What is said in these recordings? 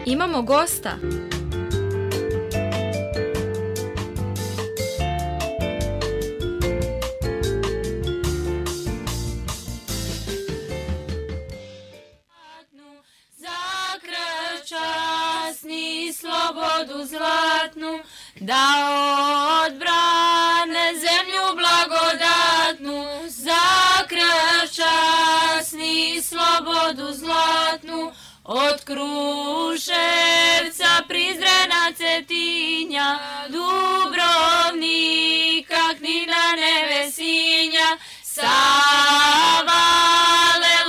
Imamo gosta. Za krv časni slobodu zlatnu, da odbrane zemlju blagodatnu. Za krv časni slobodu zlatnu, od Kruševca, Prizrena, Cetinja, Dubrovnika, Knina, Nevesinja, Savale,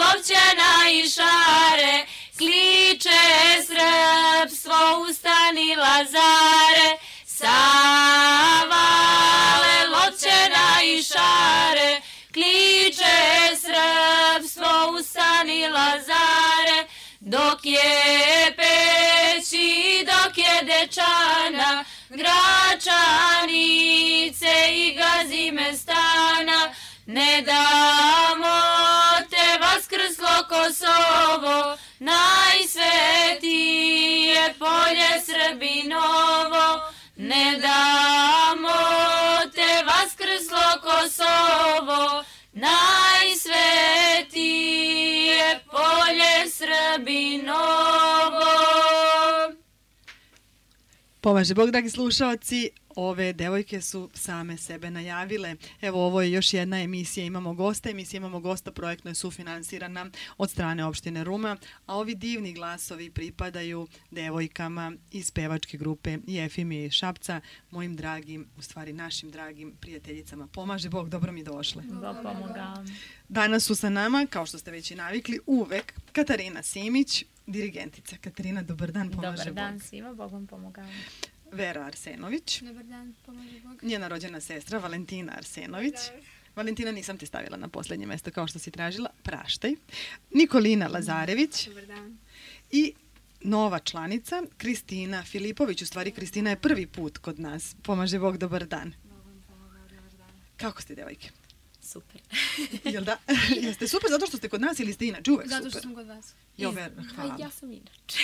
Lovćena i Šare, kliče srpstvo, ustani Lazare. Savale, Lovćena i Šare, kliče srpstvo, ustani Lazare. Dok je Peći, dok je Dečana, Gračanice i Gazimestana, ne damo te vaskrslo Kosovo, najsvetije polje Srbinovo. Ne damo te vaskrslo Kosovo, najsvetije polje Srbinovo. Pomaže Bog, dragi slušaoci, ove devojke su same sebe najavile. Evo, ovo je još jedna emisija Imamo gosta. Emisija Imamo gosta projektno je sufinansirana od strane opštine Ruma, a ovi divni glasovi pripadaju devojkama iz pevačke grupe Jefimije iz Šapca, mojim dragim, u stvari našim dragim prijateljicama. Pomaže Bog, dobro mi došle. Bog pomoga. Danas su sa nama, kao što ste već i navikli, uvek Katarina Simić, dirigentica. Katarina, dobar dan, pomaže Bog. Dobar dan svima, Bog vam pomoga. Vera Arsenović. Dobar dan, pomože Bog. Njena rođena sestra Valentina Arsenović. Valentina, nisam te stavila na posljednje mjesto kao što si tražila, praštaj. Nikolina Lazarević. Dobar dan. I nova članica Kristina Filipović. U stvari, Kristina je prvi put kod nas. Pomaže Bog, dobar dan. Kako ste, devojke? Super. Jel da? Jeste super zato što ste kod nas ili ste inače uvek super? Zato što sam kod vas. Jo, Vera, hvala. Ja sam inače.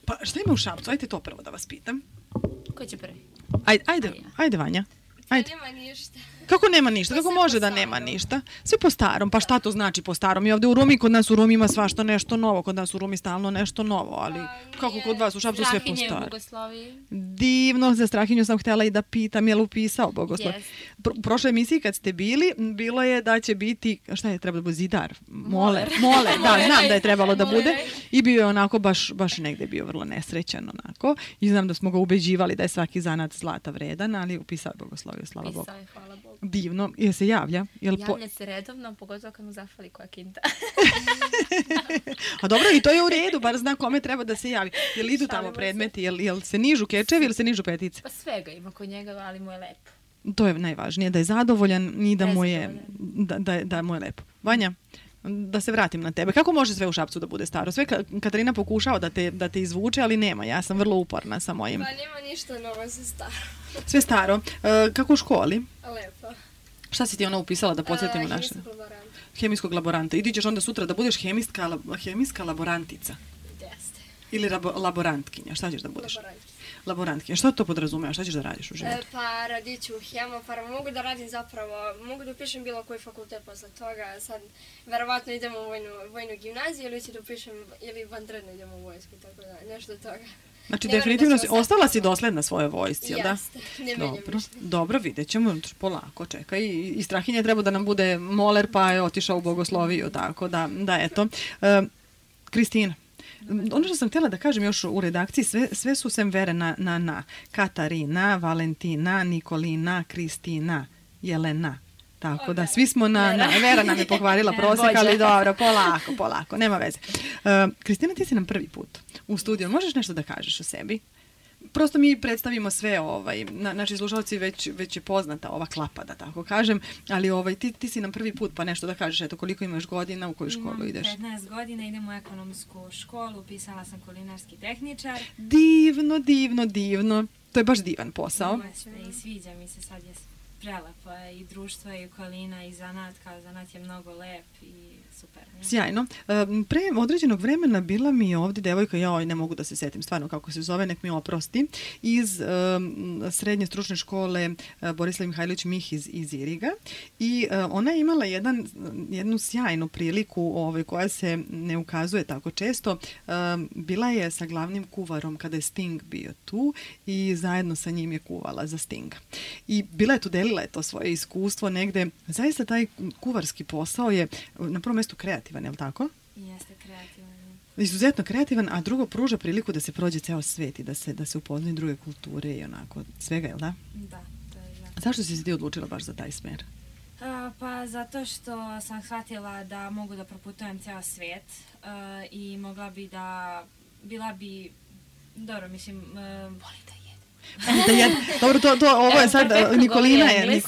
Pa šta ima u Šapcu? Ajde to prvo da vas pitam. Ko će prvi? Ajde Vanja. Ajde. Nema ništa. Kako nema ništa? Kako može da nema ništa? Sve po starom. Pa šta to znači po starom? I ovdje u Rumi, kod nas u Rumi ima svašta nešto novo. Kod nas u Rumi stalno nešto novo, ali kako kod vas u Šapcu sve po starom? Strahinje u Bogosloviji. Divno, za Strahinju sam htjela i da pitam, je li upisao Bogoslov? Yes. U prošloj emisiji kad ste bili, bilo je da će biti, šta je trebalo da bude, zidar? Moler, da, znam da je trebalo da bude. I bio je onako, baš negdje bio vrlo nesrećan onako. I znam da smo ga ubeđivali da je svaki zanat zlata vredan, ali upisao Bogosloviju, slava Bogu. Pisao je, hvala Bogu. Divno, je se javlja? Javlja se redovno, pogotovo kad mu zafali koja kinta. A dobro, i to je u redu, bar zna kome treba da se javi. Jel idu tamo predmeti, jel se nižu kečevi ili se nižu petice? Pa svega ima kod njega, ali mu je lepo. To je najvažnije, da je zadovoljan i da mu je, da mu je lepo. Vanja, da se vratim na tebe. Kako može sve u Šapcu da bude staro? Sve Katarina pokušao da te izvuče, ali nema. Ja sam vrlo uporna sa mojim. Pa nema ništa novo, sve staro. Sve staro. Kako u školi? Lepo. Šta si ti ona upisala da podsjetimo naše? Hemijskog laboranta. Hemijskog laboranta. I ti ćeš onda sutra da budeš hemijska laborantica. Jeste. Ili laborantkinja. Šta ćeš da budeš? Laborantkinja. Laborantkinja. Šta to podrazumeva? Šta ćeš da radiš u životu? Pa radit ću hemofarm. Mogu da radim zapravo, mogu da upišem bilo koji fakultet posle toga. Sad, verovatno idem u vojnu gimnaziju ili ću da upišem, ili vanredno idem u vojsku, tako da, nešto od toga. Znači, definitivno ostala si dosledna svojoj vojsci, jel da? Jeste, ne menjam ništa. Dobro, vidjet ćemo, polako, čekaj. I Strahinje treba da nam bude moler, pa je otišao u Bogosloviju, tako da eto. Kristina, ono što sam htjela da kažem još u redakciji, sve su sem vere na. Katarina, Valentina, Nikolina, Kristina, Jelena. Tako da, svi smo na. Vera nam je pokvarila prosjek, ali dobro, polako, nema veze. Kristina, ti si nam prvi put u studiju. Možeš nešto da kažeš o sebi? Prosto mi predstavimo sve, naši slušalci već je poznata ova klapa, da tako kažem, ali ti si nam prvi put, pa nešto da kažeš, eto, koliko imaš godina, u koju školu ideš? 15 godina, idem u ekonomsku školu, upisala sam kulinarski tehničar. Divno. To je baš divan posao. I sviđa mi se, sad je prelepo je i društvo i okolina i zanat, kao zanat je mnogo lep i super. Ne? Sjajno. Pre određenog vremena bila mi je ovdje devojka, ne mogu da se setim stvarno kako se zove, nek mi oprosti, iz srednje stručne škole Borislav Mihajlović Mih iz Iriga i ona je imala jednu sjajnu priliku koja se ne ukazuje tako često. Bila je sa glavnim kuvarom kada je Sting bio tu i zajedno sa njim je kuvala za Stinga. I bila je tu, delila je to svoje iskustvo negde. Zaista taj kuvarski posao je na prvom mjestu kreativan, je li tako? Jeste kreativan. Izuzetno kreativan, a drugo pruža priliku da se prođe ceo svet i da se upoznaju druge kulture i onako svega, je li da? Da, to je jako. Zašto si se ti odlučila baš za taj smer? Pa zato što sam shvatila da mogu da proputujem ceo svijet i mogla bi da, bila bi, dobro, mislim, Voli da jede. Dobro, ovo je sad, Nikolina je.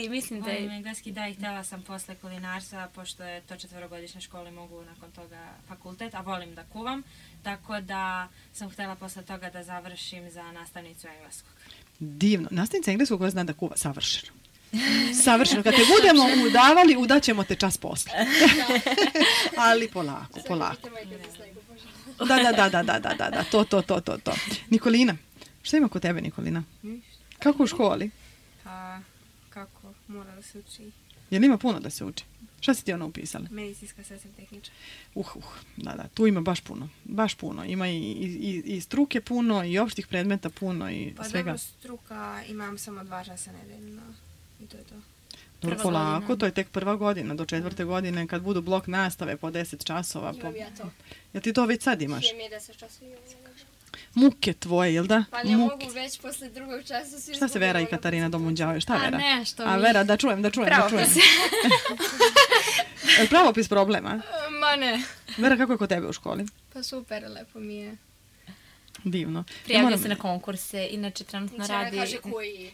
I mislim da volim je... engleski, da, i htjela sam posle kulinarstva, pošto je to 4-godišnje škole, mogu nakon toga fakultet, a volim da kuvam, tako da sam htjela posle toga da završim za nastavnicu engleskog. Divno. Nastavnica engleskog koja zna da kuva, savršeno. Savršeno. Kad te budemo udavali, udaćemo te čas posle. Ali polako. Da, to. Nikolina, šta ima kod tebe, Nikolina? Kako u školi? Pa, kako? Mora da se uči. Jel ima puno da se uči? Šta si ti ona upisala? Medicinska sestra tehničar. Da, tu ima baš puno. Ima i struke puno, i opštih predmeta puno, i pa svega. Pa dobro, struka imam samo 2 časa nedeljno i to je to. Dobro, polako, to je tek prva godina, do 4. godine, kad budu blok nastave po 10 časova. Imam ja to. Jel ti to već sad imaš? Hemija 10 časova imam. Muke tvoje, jel da? Pa ne mogu već posle 2. časa. Šta se Vera i Katarina domunđavaju? Šta Vera? nešto A Vera, da čujem. Pravopis problema? Ma ne. Vera, kako je kod tebe u školi? Pa super, lepo mi je. Divno. Prijavlja se na konkurse, inače trenutno radi... Kaže koji.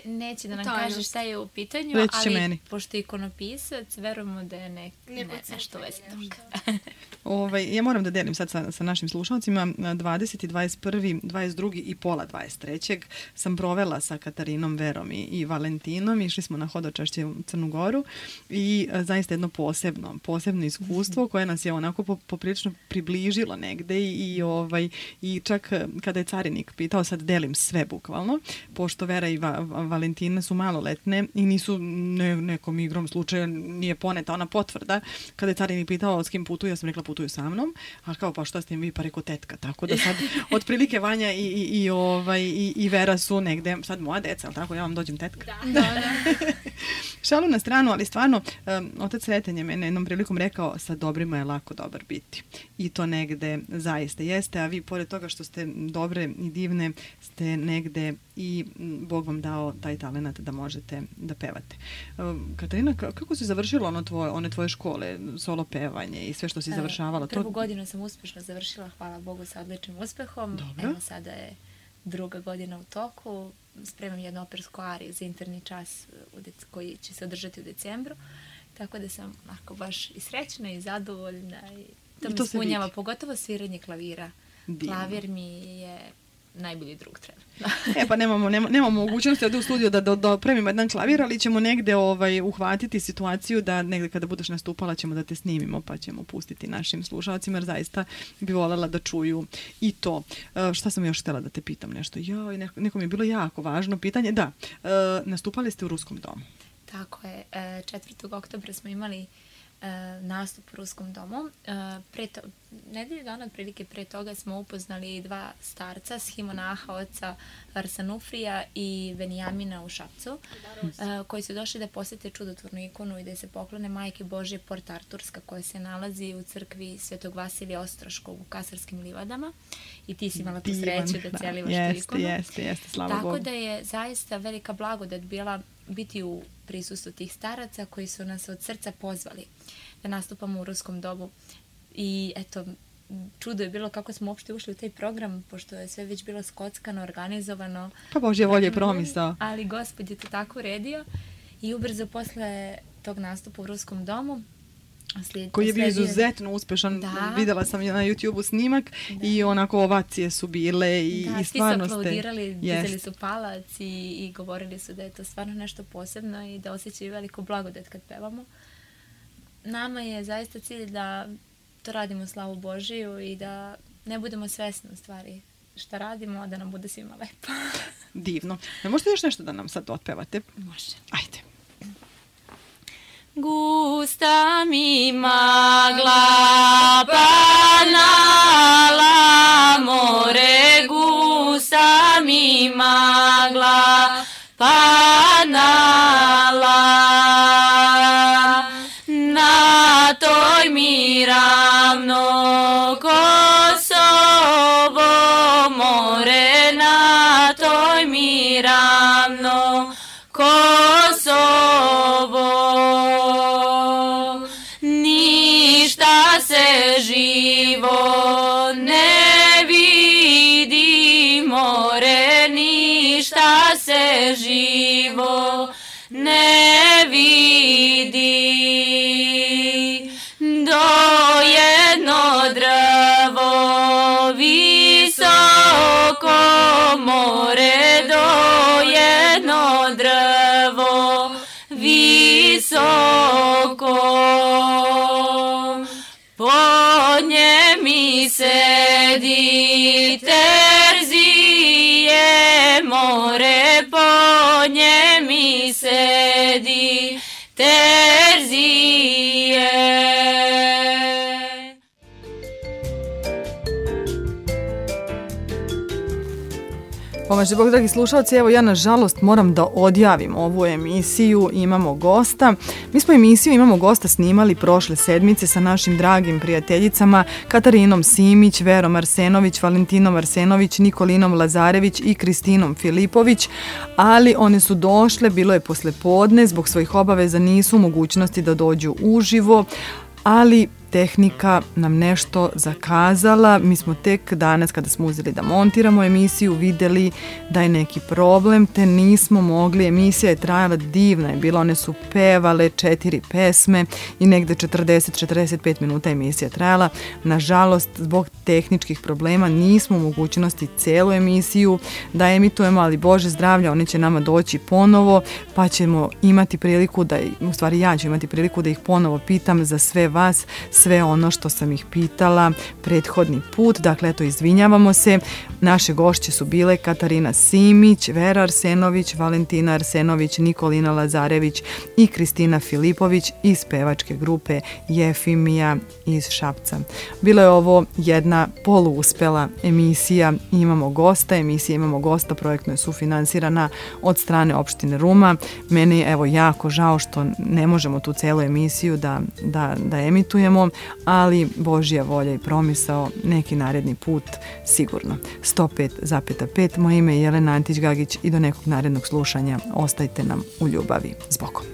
Neće da nam kaže šta je u pitanju, ali pošto je ikonopisac, verujemo da je nešto vezano. Ja moram da delim sad sa našim slušalcima. 20. 21. 22. i pola 23. sam provela sa Katarinom, Verom i Valentinom. Išli smo na hodočašće u Crnu Goru i zaista jedno posebno iskustvo koje nas je onako poprilično približilo negde i čak kada je carinik pitao, sad delim sve bukvalno, pošto Vera i Valentina su maloletne i nisu nekom igrom slučaja, nije poneta ona potvrda. Kada je carinik pitao s kim putuju, ja sam rekla putuju sa mnom, a kao pa šta ste vi, pa rekao tetka, tako da sad otprilike Vanja i Vera su negde, sad moja deca, ali tako ja vam dođem tetka. Da. Šalu na stranu, ali stvarno, otac Sreten je mene jednom prilikom rekao, sa dobrima je lako dobar biti. I to negde zaista jeste, a vi pored toga što ste dobre i divne, ste negde i Bog vam dao taj talenat da možete da pevate. Katarina, kako si završila one tvoje škole, solo pevanje i sve što si završavala? Prvu godinu sam uspješno završila, hvala Bogu, sa odličnim uspehom. Dobro. Evo sada je 2. godina u toku. Spremam jednu opersku ariju za interni čas koji će se održati u decembru. Tako da sam baš i srećna i zadovoljna. I to me ispunjava, pogotovo sviranje klavira. Divno. Klavir mi je najbolji drug trenutno. Pa nemamo mogućnosti ovdje u studiju da premimo jedan klavir, ali ćemo negde uhvatiti situaciju da negde kada budeš nastupala ćemo da te snimimo, pa ćemo pustiti našim slušalcima, jer zaista bi voljela da čuju i to. Šta sam još htjela da te pitam nešto? Neko mi je bilo jako važno pitanje. Da, nastupali ste u Ruskom domu. Tako je. 4. oktobra smo imali nastup u Ruskom domu. Nedelju dana otprilike pre toga smo upoznali 2 starca, schimonaha oca Arsanufrija i Benjamina u Šapcu, koji su došli da posjete čudotvornu ikonu i da se poklone Majke Božje Port Arturska, koja se nalazi u crkvi Svetog Vasilija Ostroškog u Kasarskim livadama. I ti si imala tu sreću da celivaš tu ikonu. Jeste, slava Bogu. Tako da je zaista velika blagodat bila biti u prisustvu tih staraca koji su nas od srca pozvali da nastupamo u Ruskom domu. I eto, čudo je bilo kako smo uopšte ušli u taj program, pošto je sve već bilo skockano, organizovano. Pa Božje volje je promisao. Ali Gospod je to tako uredio i ubrzo posle tog nastupa u Ruskom domu koji je bio izuzetno uspešan. Videla sam na YouTube-u snimak i onako ovacije su bile i stvarno ste... Svi su aplaudirali, dizali su palac i govorili su da je to stvarno nešto posebno i da osjećaju veliku blagodat kad pevamo. Nama je zaista cilj da to radimo slavu Božiju i da ne budemo svesni u stvari šta radimo, a da nam bude svima lepo. Divno. Možete još nešto da nam sad otpevate? Može. Ajde. Gusta mi magla panala more, gusta mi magla panala, na toj mi ravno Kosovo more, na toj mi ravno Kosovo. Ništa se živo ne vidi more, ništa se živo ne vidi. Do jedno drvo visoko more, do jedno drvo visoko, pod nje mi sedi Terzije more, pod nje mi sedi Terzije. Pomaže Bog, dragi slušalci, evo ja nažalost moram da odjavim ovu emisiju Imamo gosta. Mi smo emisiju Imamo gosta snimali prošle sedmice sa našim dragim prijateljicama Katarinom Simić, Verom Arsenović, Valentinom Arsenović, Nikolinom Lazarević i Kristinom Filipović, ali one su došle, bilo je poslepodne, zbog svojih obaveza nisu u mogućnosti da dođu uživo, ali tehnika nam nešto zakazala. Mi smo tek danas kada smo uzeli da montiramo emisiju vidjeli da je neki problem, te nismo mogli. Emisija je trajala, divna je bila, one su pevale 4 pesme i negde 40-45 minuta emisija trajala. Nažalost, zbog tehničkih problema nismo u mogućnosti celu emisiju da emitujemo, ali Bože zdravlja, one će nama doći ponovo, pa ćemo imati priliku da, u stvari ja ću imati priliku da ih ponovo pitam za sve vas, sve ono što sam ih pitala prethodni put. Dakle, eto, izvinjavamo se. Naše gošće su bile Katarina Simić, Vera Arsenović, Valentina Arsenović, Nikolina Lazarević i Kristina Filipović iz pevačke grupe Jefimija iz Šapca. Bila je ovo jedna poluuspela emisija Imamo gosta. Emisija Imamo gosta projektno je sufinansirana od strane opštine Ruma. Meni je evo jako žao što ne možemo tu celu emisiju da emitujemo, ali Božja volja i promisao neki naredni put sigurno. 105,5. Moje ime je Jelena Antić-Gagić i do nekog narednog slušanja ostajte nam u ljubavi. S Bogom.